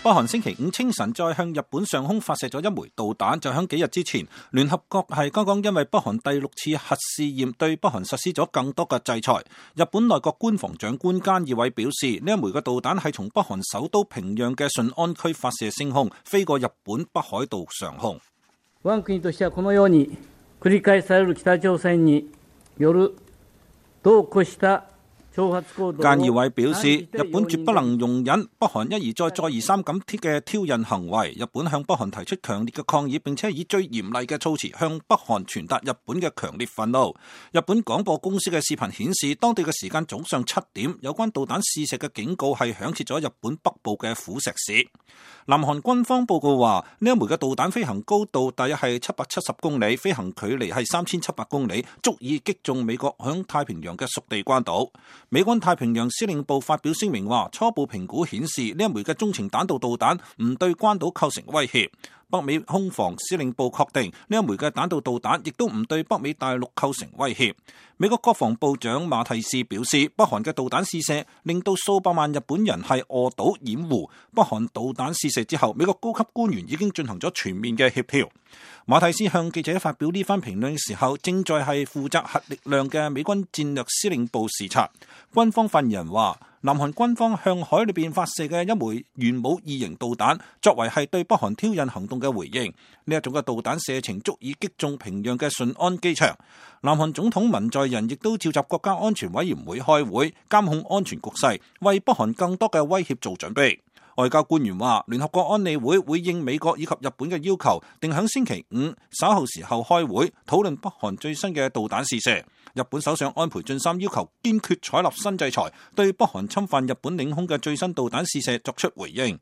北韓星期五清晨再向日本上空發射咗一枚導彈，就喺幾日之前，聯合國係剛剛因為北韓第6次核試驗對北韓實施咗更多嘅制裁。日本內閣官房長官菅義偉表示，呢一枚嘅導彈係從北韓首都平壤嘅順安區發射升空，飛過日本北海道上空。我國としてはこのように繰り返される北朝鮮による度を越した菅義偉表示，日本絕不能容忍北韓一而再、再而三咁嘅挑釁行為。日本向北韓提出強烈嘅抗議，並且以最嚴厲嘅措辭向北韓傳達日本嘅強烈憤怒。日本廣播公司嘅視頻顯示，當地嘅時間早上7點，有關導彈試射嘅警告係響徹咗日本北部嘅釜石市。南韓軍方報告話，呢一枚嘅導彈飛行高度大約係770公里，飛行距離係3700公里，足以擊中美國響太平洋嘅屬地關島。美軍太平洋司令部發表聲明話，初步評估顯示呢一枚嘅中程彈道導彈唔對關島構成威脅。北美空防司令部確定呢一枚嘅彈道導彈亦都唔對北美大陸構成威脅。美國國防部長馬蒂斯表示，北韓嘅導彈試射令到數百萬日本人係餓倒掩護。北韓導彈試射之後，美國高級官員已經進行咗全面嘅協調。馬蒂斯向記者發表呢番評論嘅時候，正在係負責核力量嘅美軍戰略司令部視察。軍方發言人話，南韓軍方向海裏邊發射嘅一枚元武2型導彈，作為係對北韓挑釁行動嘅回應。呢一種嘅導彈射程足以擊中平壤嘅順安機場。南韓總統文在寅亦都召集國家安全委員會開會，監控安全局勢，為北韓更多嘅威脅做準備。外交官員話，聯合國安理會會應美國以及日本嘅要求，定喺星期5稍後時候開會討論北韓最新嘅導彈試射。日本首相安倍晉三要求堅決採納新制裁，對北韓侵犯日本領空嘅最新導彈試射作出回應。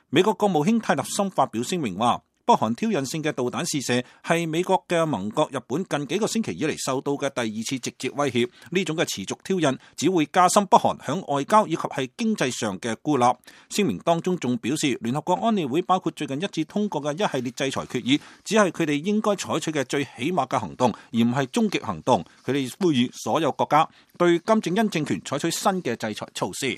美國國務卿泰勒森發表聲明話，北韓挑釁性嘅導彈試射係美國嘅盟國日本近幾個星期以嚟受到嘅第2次直接威脅。呢種嘅持續挑釁只會加深北韓響外交以及係經濟上嘅孤立。聲明當中仲表示，聯合國安理會包括最近一致通過嘅一系列制裁決議，只係佢哋應該採取嘅最起碼嘅行動，而唔係終極行動。佢哋呼籲所有國家對金正恩政權採取新嘅制裁措施。